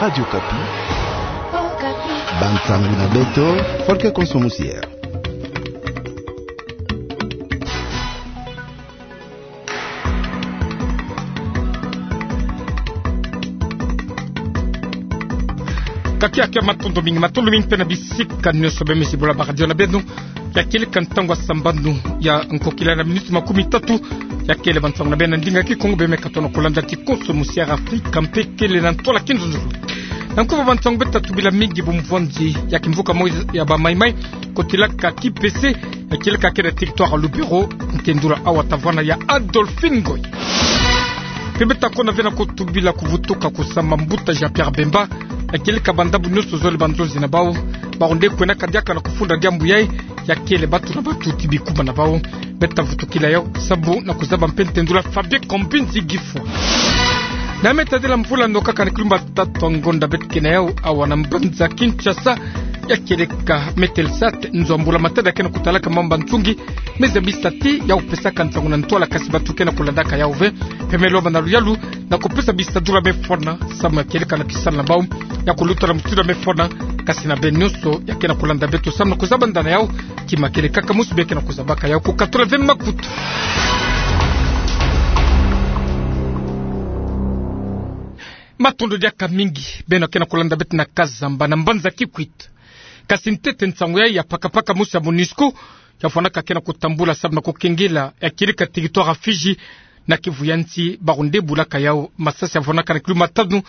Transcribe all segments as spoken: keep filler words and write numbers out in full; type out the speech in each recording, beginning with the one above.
Radio Okapi. Bansangu na beto, Folke Konso Musiere. Kakia kia matondo mingi, matondo mingi mpe na bisika nyonso bemesi bola ba radio na beno. Ya kieleka ntangu ya sambanu ya nkokila na minuti makumi tatu. Ya kele bansangu na beno na ndinga Kikongo bemeka tona kolanda ti Konso Musiere Afrika mpe kele na ntwala kinzonzolo. Na nkuba bansangu beto ta tubila mingi bumvwanzi ya kimvuka mosi ya ba Maï-Maï kotilaka Kipese, ya kieleka kena territoire Lubero, ntendula awa ta vwanda ya Adolphine Ngoy. Mpe beto ta kona ve na kutubila kuvutuka kusama mbuta Jean-Pierre Bemba, ya kieleka bandambu nyonso zole ba nzonzi na bau, bau nde kwenaka diaka na kufunda diambu yayi, ya kele batu na batu ti bikuma na bau. Beto ta vutukila yau sambu na kuzaba mpe ntendula Fabien Kombinzi Gifwa. Na me tadila mvula no kaka na kilumba tatu ya ngonda beto ke na yau awa na mbanza Kinshasa, ya kieleka Metelsat, nzo ya mbula matadi ya kena kutalaka mambu ya nsungi, me zabisa ti ya kupesaka nsangu na ntwala kasi batu ke na kulandaka yau ve. Mpe me lomba na luyalu na kupesa bisadula me fwana, samu ya kieleka na kisala na bau ya kuluta na mutindu ya me fwana, kasi na beno nyonso ya ke na kulanda beto samu na kuzaba nda na yau, kima kieleka ka mosi bie ke na kuzabaka yau kukatula ve makutu. Matondo diaka mingi beno ya ke na kulanda beto na Kazamba na mbanza Kikwit. Kasi ntete nsangu yayi ya pakapaka mosi ya MONUSCO ya vwanaka ke na kutambula samu na kukengela ya kieleka territoire ya Fidji na Kivu ya nsi, bau nde bulaka yau masasi ya vwanaka na kilumba tanu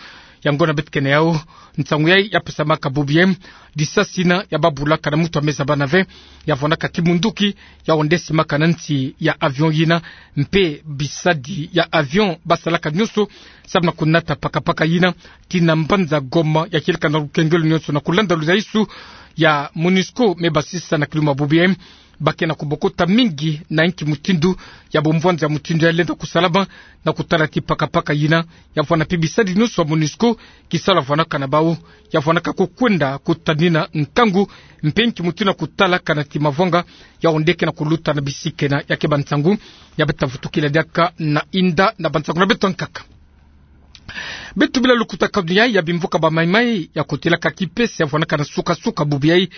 ya ngonda beto ke na yau. Nsangu yayi ya pesamaka bubu yayi, lisasi yina ya bau bulaka na mutu ya me zabana ve, ya vwanaka ti munduki, yau nde simaka na nsi ya avion yina, mpe bisadi ya avion ba salaka nyonso samu na kunata pakapaka yina tii na mbanza Goma, ya kieleka na lukengelo nyonso na kulanda luzaisu ya MONUSCO me basisa na kilumba bubu yayi. Ba ke na kubokota mingi na nki mutindu ya bumvwanzi ya mutindu yayi lenda kusalama, na kutala ti pakapaka yina ya vwana mpe bisadi nyonso ya MONUSCO, kisalu ya vwanaka na bau ya vwanaka kukwenda kutanina nkangu, mpe nki mutindu ya kutala kana ti mavwanga yau nde ke na kuluta na bisika ena. Ya ke bansangu ya beto ta vutukila diaka na inda na bansangu na beto ya nkaka. Beto bila lukutakanu yayi ya bimvuka ba Maï-Maï ya kotilaka Kipese ya vwanaka na suka-suka bubu yayi.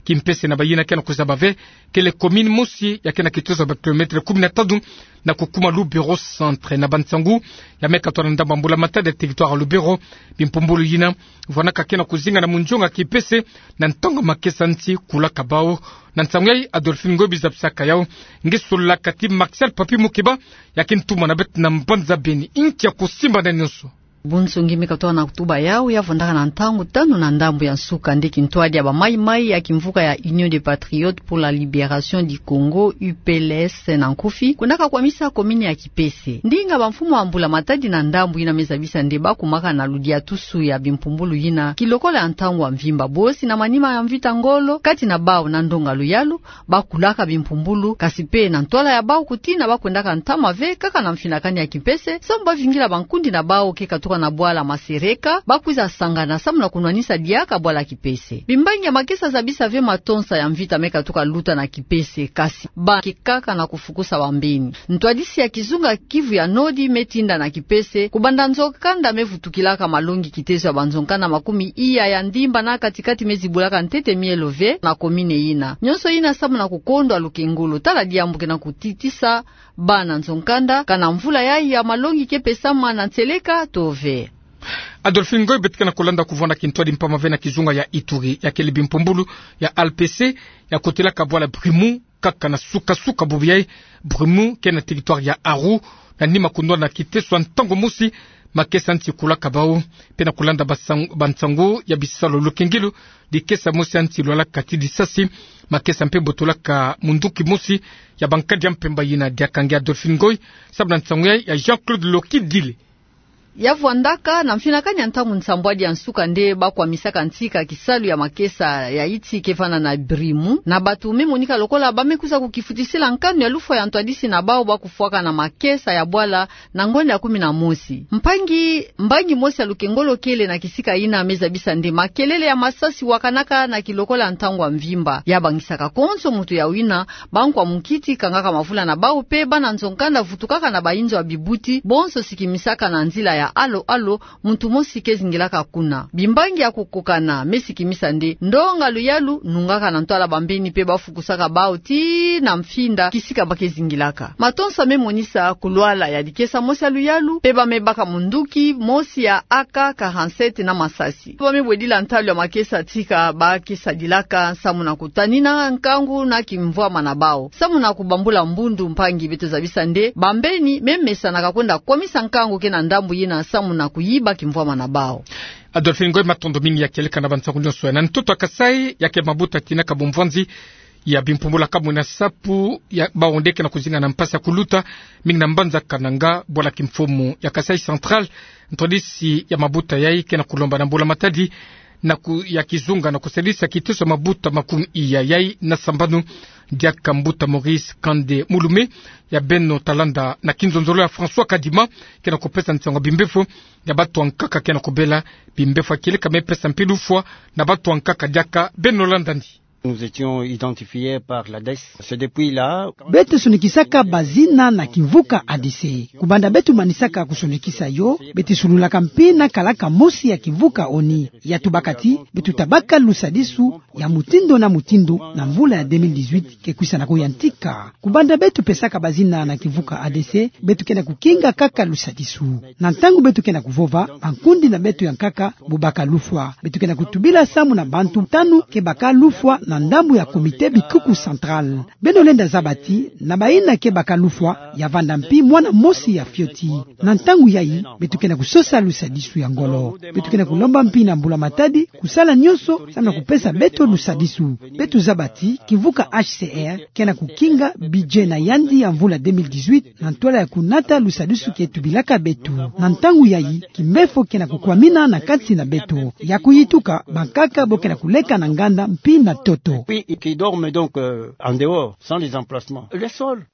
Kimpese na bayina ke na kuzaba ve, kele commune mosi ya ke na kitozo ya ba kilomètre kumi na tanu na kukuma Lubero centre. Na bansangu ya me katoa na ndambu ya mbula matadi ya territoire ya Lubero, bimpumbulu yina vwanaka ke na kuzinga na munzonga Kipese na ntangu ya makesa nsi kulaka bau. Na nsangu yayi Adolphine Ngoy bi zabisaka yau. Nge solaka ti Martial Papi Mukeba, ya ke ntuma na beto na mbanza Beni. Nki ya kusimba na nyonso? Bunsungi me katoa na kutuba yau ya vwandaka na ntangu tanu na ndambu ya nsuka nde kintwadi ya ba Maï-Maï ya kimvuka ya Union des Patriotes pour la Libération du Congo, U P L S na nkufi, kwendaka kwamisa commune ya Kipese. Ndinga bamfumu ya mbula matadi na ndambu yina me zabisa nde ba kumaka na ludiatusu ya bimpumbulu yina kilokola ya ntangu ya mvimba, bosi na manima ya mvita ngolo kati na bau na ndonga luyalu, ba kulaka bimpumbulu, kasi mpe na ntwala ya bau kutina ba kwendaka ntama ve kaka na mfinakani ya Kipese, samu ba vingila bankundi na bau ke katuka na bwala Masereka, ba kwiza sangana samu na kunwanisa diaka bwala Kipese. Bimbangi ya makesa zabisa ve matonsa ya mvita me katuka luta na Kipese, kasi ba ke kaka na kufukusa bambeni. Ntwadisi ya kizunga Kivu ya Nord me tinda na Kipese, kubanda nzo-nkanda me vutukilaka malongi kitezo ya banzo-nkanda makumi iya ya ndimba na kati-kati me zibulaka ntete mielo ve na commune yina. Nyonso yina samu na kukondwa lukengolo, tala diambu ke na kutitisa bana nzo-nkanda, kana mvula yayi ya malongi ke pesama na nseleka to ve. Adolphine Ngoy, beto ke na kulanda kuvwanda kintwadi mpamba ve na kizunga ya Ituri, ya kele bimpumbulu ya L P C ya kotilaka bwala Brimo, kaka na suka-suka bubu yayi. Brimo ke na territoire ya Aru, na nima kundwala na kiteso ya ntangu mosi, makesa nsi kulaka bau. Mpe na kulanda basang-, bansangu ya bisalu, lukengelo, likesa mosi ya nsi lwalaka ti lisasi, makesa mpe botolaka munduki mosi ya bankadi ya mpemba yina. Diaka nge Adolphine Ngoy, samu na nsangu yayi ya Jean-Claude Lokidile. Ya vwandaka na mfinakani ya ntangu nsambwadi ya nsuka nde ba kwamisaka ntika kisalu ya makesa ya iti ke vanda na Brimo, na batu me monika lokola ba me kwiza kukifutisila nkanu ya lufwa ya ntwadisi na bau ba kufwaka na makesa ya bwala na ngonda ya kumi na mosi. Mpangi, mbangi mosi ya lukengolo kele na kisika yina me zabisa nde makelele ya masasi wakanaka na kilokola ya ntangu ya mvimba, ya bangisaka konso mutu ya wina, bankwa munkiti kangaka mavula na bau mpe bana nzo-nkanda vutukaka na bainzo ya bibuti, bonso sikimisaka na nzila ya alo alo, muntu mosi ke zingilaka kuna. Bimbangi ya kukokana me sikimisa nde ndonga luyalu nungaka na ntwala bambeni pe bafukusaka bau tii na mfinda kisika ba ke zingilaka. Matonsa me monisa kulwala ya dikesa mosi ya luyalu, pe ba me baka munduki mosi ya A K quarante-sept na masasi. Ba me bwedila ntalu ya makesa tika ba ke sadilaka samu na kutanina nkangu na kimvwama na bau. Samu na kubambula mbundu mpangi, beto zabisa nde bambeni me mesanaka kwenda kwamisa nkangu ke na ndambu yina samu na kuyiba kimvwama na bau. Adolphine Ngoy, matondo mingi ya kieleka na bansangu nyonso ya. Na ntoto ya Kasaï, ya ke mabuta tinaka bumvwanzi ya bimpumbula kamwe na sapu ya bau nde ke na kuzinga na mpasi ya kuluta, mingi na mbanza Kananga, bwala kimfumu ya Kasaï Central, ntwadisi ya mabuta yai ke na kulomba na mbula matadi na ku-, ya kizunga na kusadisa kiteso ya mabuta makumi iya yai na sambanu, diaka mbuta Maurice Kande Mulume, ya beno ta landa na kinzonzolo ya François Kadima, ke na kupesa nsangu ya bimbefo ya batu ya nkaka ke na kubela. Bimbefo ya kieleka me pesa mpi lufwa na batu ya nkaka, diaka beno landa ndi. Nous étions identifiés par la dess. C'est depuis là. Beto sonikisaka bazina na kimvuka A D C. Kubanda beto manisaka kusonikisa yo, beto sululaka mpi na kalaka mosi ya kimvuka ONI. Ya tubaka ti beto ta baka lusadisu ya mutindu na mutindu na mvula ya deux mille dix-huit ke kwisa na kuyantika. Kubanda beto pesaka bazina na kimvuka A D C, beto ke na kukinga kaka lusadisu. Na ntangu beto ke na kuvova, bankundi na beto ya nkaka bo baka lufwa. Beto ke na kutubila samu na bantu tanu ke baka lufwa na ndambu ya Comité Bikuku Central. Beno lenda zaba ti na bayina ke baka lufwa, ya vanda mpi mwana mosi ya fioti. Na ntangu yai, beto ke na kusosa lusadisu ya ngolo. Beto ke na kulomba mpi na mbula matadi kusala nyonso samu na kupesa beto lusadisu. Beto zaba ti kimvuka H C R ke na kukinga budget na yandi ya mvula deux mille dix-huit na ntwala ya kunata lusadisu ke tubilaka beto. Na ntangu yai, kimbefo ke na kukwamina na kati na beto. Ya kuyituka, bankaka bo ke na kuleka na nganda mpi na ntoto. Puis, qui dorment donc, euh, en dehors, sans les emplacements. Le sol.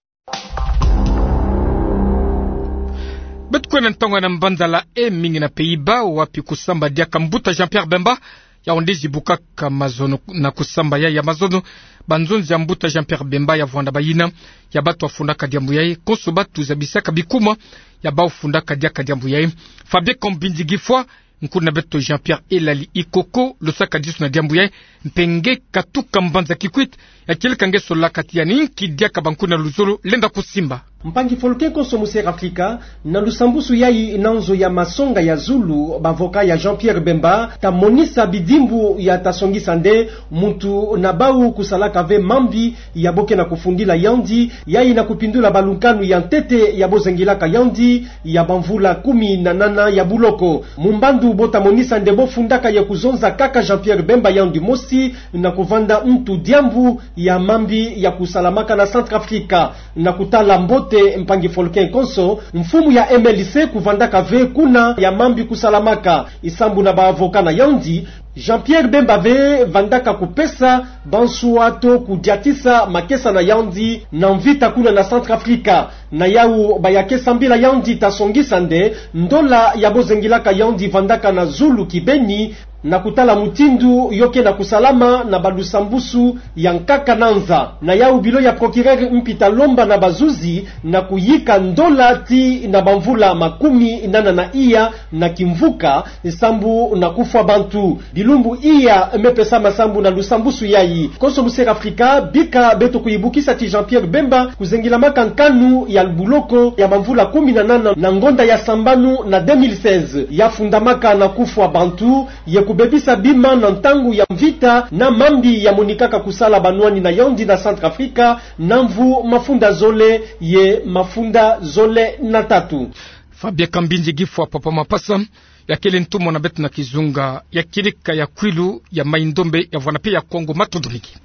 Beto kwenda ntangu ya na mbanza La Haye, mingi na Pays-Bas, wapi kusamba diaka mbuta Jean-Pierre Bemba, ya onde zibukaka mazono na kusamba ya, ya mazono. Banzonzi ya mbuta Jean-Pierre Bemba ya vwanda bayina ya batu ya fundaka diambu yai, konso batu zabisaka bikuma ya bau fundaka diaka diambu yai. Fabien Kambinzi Gifwa, nkuna beto Jean-Pierre Elali Ikoko, lo saka disu na diambu yai, mpe nge katuka mbanza Kikwit, ya kieleka nge solaka ti ya ninki diaka bankuna luzolo lenda kusimba. Mpangi Folke konso mu Sierra Afrika, na lusambusu yai na nzo ya masonga ya zulu, bavoka ya Jean-Pierre Bemba ta monisa bidimbu ya ta songisa nde muntu na bau kusalaka ve mambi ya bo ke na kufundila yandi, yai na kupindula balukanu ya ntete ya bo zengilaka yandi, ya bamvula kumi na nana ya buloko. Mu mbandu bo ta monisa nde bo fundaka ya kuzonza kaka Jean-Pierre Bemba yandi mosi na kuvanda ntu diambu ya mambi ya kusalamaka na Centrafrique. Na kutala mbote mpangi Folke konso, mfumu ya M L C kuvandaka ve kuna ya mambi kusalamaka, isambu na baavoka na yandi, Jean-Pierre Bemba ve vandaka kupesa banswa to kudiatisa makesa na yandi na mvita kuna na Centrafrique. Na yau ba ya ke sambila yandi ta songisa nde ndola ya bo zengilaka yandi vandaka na zulu kibeni, na kutala mutindu yo ke na kusalama na balusambusu ya nkaka na nza. Na yau bilo ya procureur mpi ta lomba na bazuzi na kuyika ndola ti na bamvula makumi nana na iya na kimvuka, sambu na kufwa bantu. Bilumbu iya me pesama sambu na lusambusu yai. Konso mu Sierra Afrika, bika beto kuyibukisa ti Jean-Pierre Bemba kuzengilamaka nkanu ya buloko ya bamvula kumi na nana na ngonda ya sambanu na deux mille seize. Ya fundamaka na kufwa bantu, ye kubebisa bima na ntangu ya mvita, na mambi ya monikaka kusala banwani na yandi na Centrafrique, na mvu mafunda zole ye mafunda zole na tatu. Fabien Kambinzi Gifwa, Papa Mapasa, ya kele ntumwa na beto na kizunga ya kieleka ya kwilu ya Mai-Ndombe ya vwana pe ya Kongo. Matondo mingi.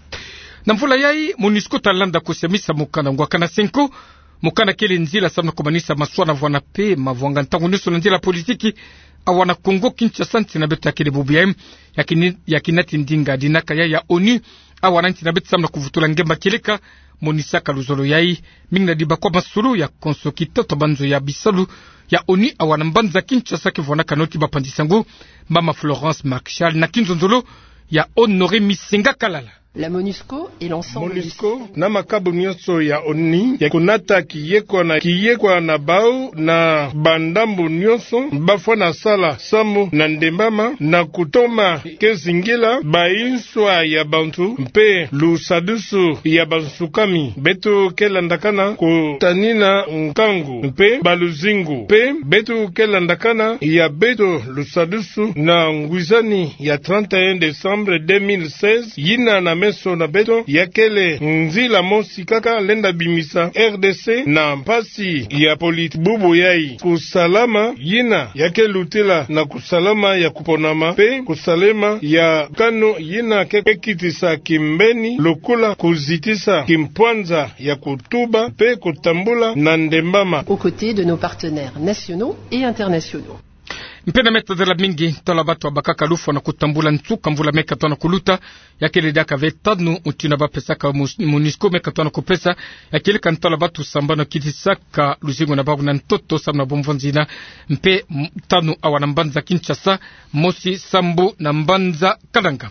Na mvula yai, MONUSCO ta landa kusiamisa mokanda ngwaka na cinq ans. Mokanda kele nzila samu na kumanisa maswa na vwana pe mavwanga ntangu nyonso na nzila politiki awa na Kongo Kinshasa. Nsi na beto ya kele bubu yai, ya kini-, ya kinati ndinga dinaka yai ya ONU awa na nsi na beto samu na kuvutula ngemba kieleka monisaka luzolo yai. Mingi na dibakwa masolo ya konso kitoto banzo ya bisalu ya ONU awa na mbanza Kinshasa, ke vwanaka noti bapanzi sango, Mama Florence Marchal, na kinzonzolo ya Honoré Misenga Kalala. La MONUSCO et l'ensemble du MONUSCO na makabu nyonso ya ONU ya kunata kiyekwa na, kiyekwa na bau na bandambu nyonso bafwana sala samu na ndembama na kutoma kizingila bainswa ya bantu mpe lusadusu ya bansukami. Beto ke landakana kutanina nkangu mpe baluzingu mpe beto ke landakana ya beto lusadusu na ngwizani ya trente et un décembre deux mille seize, yina na meso na beto ya kele nzila mosi kaka lenda bimisa R D C na mpasi ya politi. Bubu yai kusalama yina ya ke lutila na kusalama ya kuponama mpe kusalama ya kano yina ke, ke kitisa kimbeni lokola kuzitisa kimpwanza ya kutuba mpe kutambula na ndembama. Aux côtés de nos partenaires nationaux et internationaux. Mpe na meta dela mingi, ntwala batu abakaka lufwa na kutambula nsuka mvula mia katona kuluta, ya kele diaka ve tanu, mutindu bapesaka mus-, MONUSCO mia katona kupesa, ya kele ka ntwala batu sambanu kitisaka luzingu na bau na ntoto samu na bomvonzina, mpe m-, tanu awa na mbanza Kinshasa, mosi sambu na mbanza Kananga.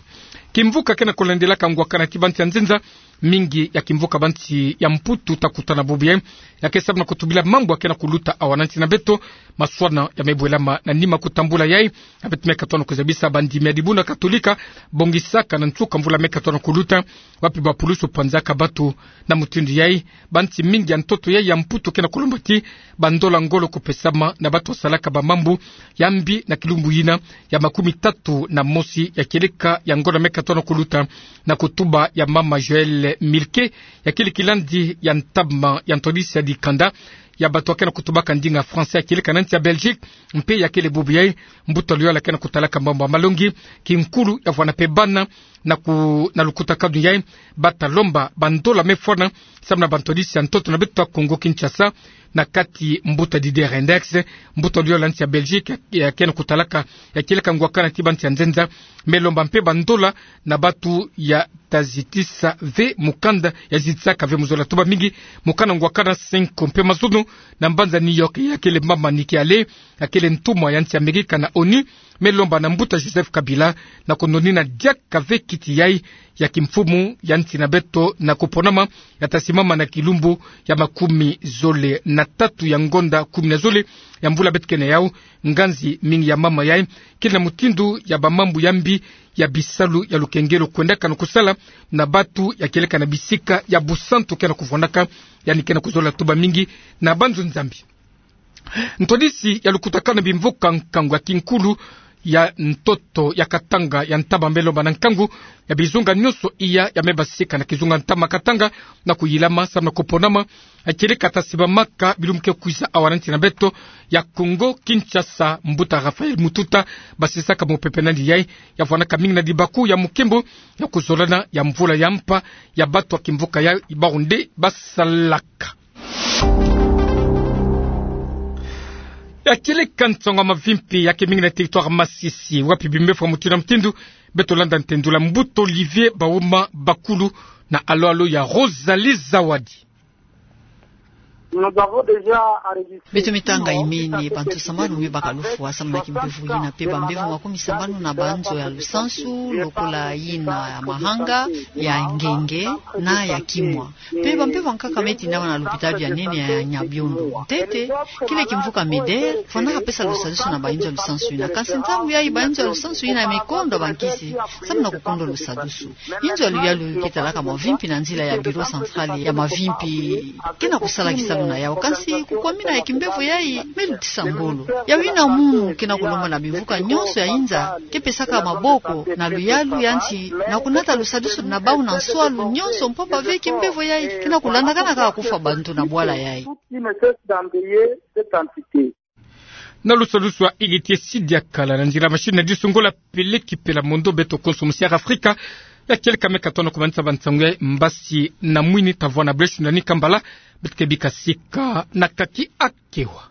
Kimvuka kena kulendelaka ngwakana ti bansi ya nzenza, mingi ya kimvuka bansi ya Mputu ta kutana bubu yai, ya ke samu na kutubila mambu ya kena kuluta awa na nsi na beto, maswana ya mebwelama na nima kutambula yai, ya beto mia katona kuzabisa bandimi ya dibundu katolika, bongisaka na nsuka mvula mia katona kuluta, wapi bapulusu pwanzaka batu na mutindu yai, bansi mingi ya ntoto yai ya Mputu kena kulomba ti bandola ngolo kupesama na batu wasalaka bamambu ya mbi na kilumbu yina ya makumi tatu na mosi ya kieleka ya ngonda mia katona kuluta, na kutuba ya mama Joëlle Milquet, ya kele kilandi ya ntama ya ntwadisi ya dikanda ya batu ya kena kutubaka ndinga français ya kieleka na nsi ya Belgique, mpe ya kele bubu yai mbuta luyala kena kutalaka mambu ya malongi, kinkulu ya vwana mpe bana, na ku-, na lukutakanu yai, bata lomba bandola mefwana, samu na bantwadisi ya ntoto na beto ya Congo Kinshasa, na kati mbuta Didier Reynders, mbuta luyala nsi ya Belgique, ya, ya kena kutalaka, ya kieleka ngwakana ti bansi ya nzenza, melomba mpe bandola na batu ya ta zitisa ve mukanda, ya zitisaka ve mu zola tuba mingi, mukanda ngwakana cinq mpe mazono, na mbanza New York, ya kele mama Nikki Haley, ya kele ntumwa ya nsi ya Amerika na ONU, melomba na mbuta Joseph Kabila, na kunonina diaka ve kiti yai ya kimfumu ya nsi na beto na kuponama, ya ta simama na kilumbu ya makumi zole na tatu ya ngonda kumi na zole ya mvula beto kena yau, nganzi mingi ya mama yai, kele na mutindu ya bamambu ya mbi ya bisalu ya lukengelo kwendaka na kusala na batu ya kieleka na bisika ya busantu kena kuvwandaka, yandi kena kuzola tuba mingi na banzo Nzambi. Ntwadisi ya lukutakanu bimvuka nkangu ya kinkulu ya ntoto ya Katanga ya ntama melomba na nkangu ya bizunga nyonso iya ya mebasika na kizunga ntama Katanga na kuyilama samu na kuponama, ya kieleka ta sibamaka bilumbu ke kwiza awa na nsi na beto ya Congo Kinshasa, mbuta Raphaël Mututa basisaka mupepe nandi yai, ya vwanaka mingi na dibaku ya mukimbu ya kuzolana ya mvula ya mpa ya batu ya kimvuka yai, bau nde basalaka. Ya kieleka nsangu ya mavimpi ya ke mingi na territoire Masisi, wapi bimbevo ya mutindu na mutindu beto landa ntendula mbuta Olivier Bauma Bakulu na alo-alo ya Rosalie Zawadi. Beto mitanga imene bantu sambanu mebaka lufwa samu na kimbevo yina, mpe bambevo makumi sambanu na banzo ya lusansu, lokola yina ya Mahanga, ya Ngenge, na ya Kimwa. Mpe bambevo nkaka meti na wana lupitalu ya nene ya Nyabiondo. Ntete, kile kimvuka MEDER, fwanaka pesa lusadusu na bainzo ya lusansu yina. Kansi ntangu yayi bainzo ya lusansu yina mekondwa bankisi, samu na kukondwa lusadusu. Inzo ya luyalu ke talaka mavimpi na nzila ya Bureau Central ya mavimpi, kena kusala kisalu na yau. Kansi kukwamina ya kimbevo yayi, melutisa ngolo. Yau yina munu kena kulomba na bimvuka nyonso ya inza, ke pesaka maboko na luyalu ya nsi, na kunata lusadusu na bau na nswalu nyonso, mpamba ve kimbevo yayi kena kulandakana kaka kufwa bantu na bwala yayi. Na lusadusu ya Héritier Sidiakala, na nzila machine na disu Ngola Pele Kipela Mondo, beto konso musi'Afrika ya kieleka me katona kumanisa bansangu ya mbasi na mwini, ta vwa na bleu, shunani kambala, beto ke bika sika na kaki akewa.